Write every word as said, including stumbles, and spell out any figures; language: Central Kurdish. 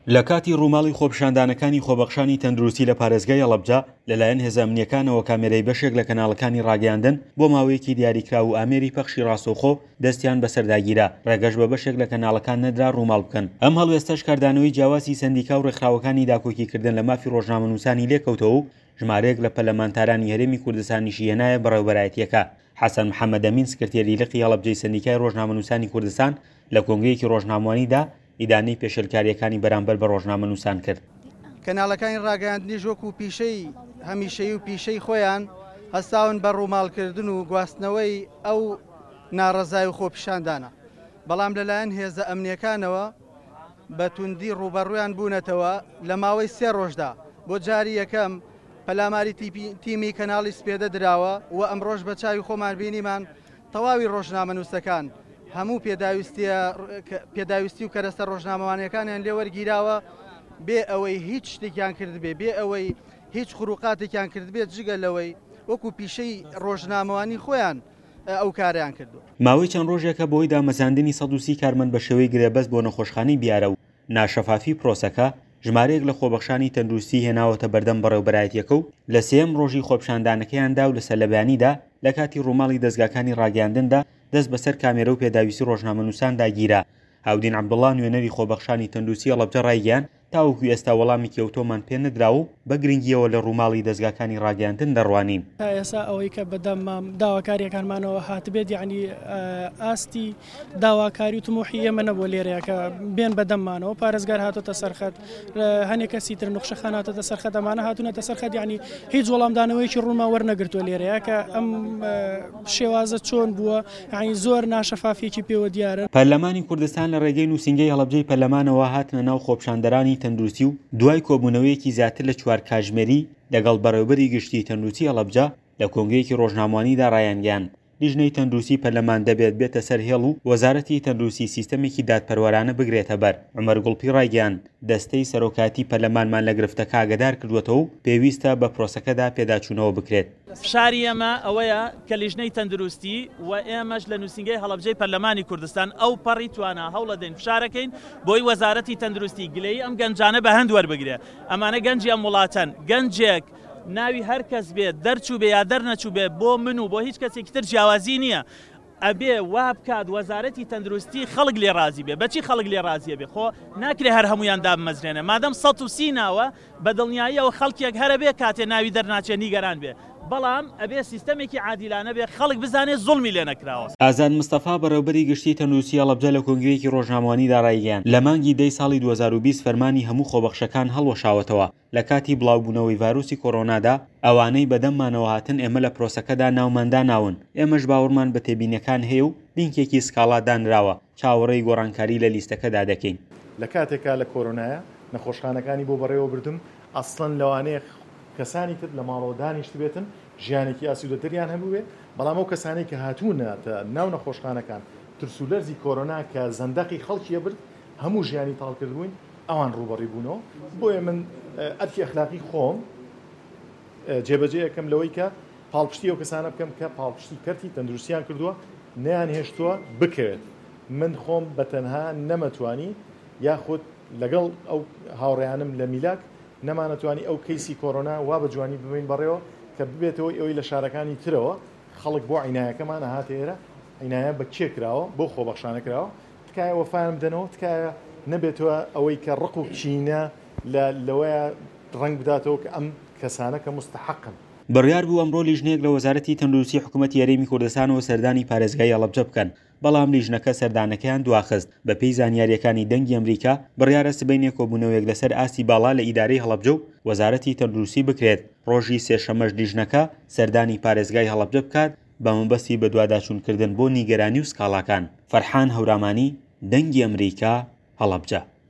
لە کاتی ڕووماڵی خۆپیشاندانەکانی خۆبەخشانی تەندروستی لە پارێزگای هەڵەبجە لەلایەن هێزە ئەمنییەکانەوە کامێرەی بەشێک لە کەناڵەکانی ڕاگەیاندن بۆ ماوەیەکی دیاریکراو و ئامێری پەخشی ڕاستەوخۆ دەستیان بەسەردا گیرا، ڕێگەش بە بەشێک لە کەناڵەکان نەدرا ڕووماڵ بکەن. ئەم هەڵوێستەش کاردانەوەی جیاوازی سەندیکا و ڕێکخراوەکانی داکۆکیکردن لە مافی ڕۆژنامەنووسانی لێکەوتەوە و ژمارەیەک لە پەرلەمانتارانی هەرێمی کوردستانیشی هێنایە بەڕێوەبەرایەتییەکە. حەسەن محەمەدئەمین سکرتێری لقی هەڵەبجەی سەندیکای ڕۆژنامەنووسانی کوردستان لە کۆنگرەیەکی ڕۆژنامەوانیدا ئیدانەی پێشێلکارییەکانی بەرامبەر بە ڕۆژنامەنووسان کرد. کەناڵەکانی ڕاگەیاندنیش وەکو پیشەی هەمیشەیی و پیشەی خۆیان هەستاون بە ڕووماڵکردن و گواستنەوەی ئەو ناڕەزای و خۆپیشاندانە، بەڵام لەلایەن هێزە ئەمنیەکانەوە بە توندی ڕووبەڕوویان بوونەتەوە. لە ماوەی سێ ڕۆژدا بۆ جاری یەکەم پەلاماری تیمی کەناڵی سپێدە دراوە و ئەمڕۆژ بە چاوی خۆمان بینیمان تەواوی ڕۆژنامەنووسەکان هەموو پێداویستی و کەرەستە ڕۆژنامەوانیەکانیان لێوەرگیراوە بێ ئەوەی هیچ شتێکیان کردبێ، بێ ئەوەی هیچ خروقاتێکیان کردبێت، جگە لەوەی وەکو پیشەی ڕۆژنامەوانی خۆیان ئەو کاریان کردو. ماوەی چەند ڕۆژێکە بەهۆی دامەزراندنی سەد و سی کارمەند بە شێوەی گرێبەست بۆ نەخۆشخانەی بیارە و ناشەفافی پرۆسەکە، ژمارەیەک لە خۆبەخشانی تەندروستی هێناوەتە بەردەم بەڕێوەبەرایەتیەکە و لە سێیەم ڕۆژی خۆپیشاندانەکەیاندا و لە سەرلەبەیانیدا لە کاتی ڕووماڵی دەزگاکانی ڕاگەیاندندا دەست بەسەر کامێرە و پێداویستی ڕۆژنامەنووساندا گیرا. هاودین عەبدوڵڵا نوێنەری خۆبەخشانی تەندروستی هەڵەبجە ڕایگەیاند تاوەکو ئێستا وەڵامێکی ئەوتۆمان پێ نەدراوە و بە گرنگیەوە لە ڕووماڵی دەزگاکانی ڕاگەیاندن دەڕوانین. تا ئێستا ئەوەی کە بەدەم داواکاریەکانمانەوە هاتبێت، یعنی ئاستی داواکاری و تموحی ئێمە نەبووە لێرەیە کە بێن بەدەممانەوە. پارێزگار هاتۆتە سەرخەت، هەنێک کەسی تر نوخشەخان هاتۆتە سەرخەت، ئەمانە هاتوونەتە سەرخەت، یعنی هیچ وەڵامدانەوەیەکی ڕوونمان وەرنەگرتووە لێرەیە کە ئەم شێوازە چۆن بووە، یعنی زۆر ناشەفافیەکی پێوە دیارە. پەرلەمانی کوردستان لە ڕێگەی نووسینگەی هەڵەبجەی پەرلەمانەوە هاتنە ناو خۆپیشاندەرانی تەندروستی و دوای کۆبوونەوەیەکی زیاتر لە چوار کاتژمێری لەگەڵ بەڕێوەبەری گشتی تەندروستی هەڵەبجە لە کۆنگرەیەکی ڕۆژنامەوانیدا ڕایانگەیاند لیژنەی تەندروستی پەرلەمان دەبێت بێتە سەر هێڵ و وەزارەتی تەندروستی سیستەمێکی دادپەروەرانە بگرێتە بەر. عومەر گوڵپی ڕایگەیاند دەستەی سەرۆکایەتی پەرلەمانمان لە گرفتەکە ئاگادار کردووەتەوە و پێویستە بە پرۆسەکەدا پێداچوونەوە بکرێت. فشاری ئێمە ئەوەیە کە لیژنەی تەندروستی و ئێمەش لە نووسینگەی هەڵەبجەی پەرلەمانی کوردستان ئەو پەڕی توانا هەوڵەدەین فشارەکەین بۆی وەزارەتی تەندروستی گلەیی ئەم گەنجانە بە هەند وەربگرێ. ئەمانە گەنجی ئەم وڵاتەن، گەنجێک ناوی هەر کەس بێت دەرچوو بێ یا دەرنەچوو بێ بۆ من و بۆ هیچ کەسێکی تر جیاوازی نییە. ئەبێ وا بکات وەزارەتی تەندروستی خەڵک لێ ڕازی بێ. بەچی خەڵک لێ ڕازیە بێ؟ خۆ ناکرێ هەر هەمویان دابمەزرێنە. مادەم سەد و سی ناوە بە دڵنیاییەوە خەڵکێک هەرە بێ کاتێ ناوی دەرناچێ نیگەران بێ، بەڵام ئەبێ سیستەمێکی عادیلانە بێ خەڵک بزانێت زوڵمی لێ نەکراوە. ئازاد مستەفا بەڕێوەبەری گشتی تەندروستی هەڵەبجە لە کۆنگرەیەکی ڕۆژنامەوانیدا ڕایگەیاند لە مانگی دەی ساڵی دوو هەزار و بیست فەرمانی هەموو خۆبەخشەکان هەڵوەشاوەتەوە لە کاتی بڵاوبوونەوەی ڤایرۆسی کۆرۆنادا ئەوانەی بەدەممانەوە هاتن ئێمە لە پرۆسەکەدا ناوماندا ناون، ئێمەش باوەڕمان بە تێبینیەکان هەیە و لینکێکی سکاڵا دانراوە، چاوەڕێی گۆڕانکاری لە لیستەکەدا دەکەین. لە کاتێکا لە کۆرۆنایە نەخۆشخانەکانی بۆ بەڕێوە بردم، ئەسڵەن لەوانەیە کەسانی تر لە ماڵەوە دانیشت بێتن ژیانێکی ئاسوودەتریان هەبووێ، بەڵام ئەو کەسانەی کە هاتوونەتە ناو نەخۆشخانەکان ترس و لەرزی کۆرۆنا کە زەندەقی خەڵکیە برد هەموو ژیانی تاڵ کردبووین ئەوان ڕووبەڕی بوونەوە. بۆیە من ئەرکی ئەخلاقی خۆم جێبەجێ ئەەکەم لەوەی کە پاڵپشتی ئەو کەسانە بکەم کە پاڵپشتی کەرتی تەندروستیان کردووە نەیان هێشتووە بکەوێت. من خۆم بە تەنها نەمەتوانی یاخود لەگەڵ ئەو هاوڕێیانم لە میلاک نەمانەتوانی ئەو کەیسی کۆرۆنا وا بە جوانی ببین بەڕێوە کە ببێتەوەی ئەوەی لە شارەکانی ترەوە خەڵک بۆ عینایەکەمان هاتە ئێرە، عینایە بە کێ کراوە؟ بۆ خۆبەخشانە کراوە. تکایە وەفایان بدەنەوە، تکایە نەبێتەوە ئەوەی کە ڕق و کینە لەوەیە ڕەنگ بداتەوە کە ئەم کەسانە کە مستحەقن. بڕیار بوو ئەمڕۆ لیژنەیەک لە وەزارەتی تەندروستی حکوومەتی هەرێمی کوردستانەوە سەردانی پارێزگای هەڵەبجە بکەن، بەڵام لیژنەکە سەردانەکەیان دواخست. بەپێی زانیاریەکانی دەنگی ئەمریکا بڕیارە سبەینێ کۆبوونەوەیەک لەسەر ئاستی باڵا لە ئیدارەی هەڵەبجە و وەزارەتی تەندروستی بکرێت. ڕۆژی سێشەمەش لیژنەکە سەردانی پارێزگای هەڵەبجە بکات بە مەبەستی بەدواداچوونکردن بۆ نیگەرانی و سکاڵاکان. فەرحان هەورامانی، دەنگی ئەمریکا، هەڵەبجە.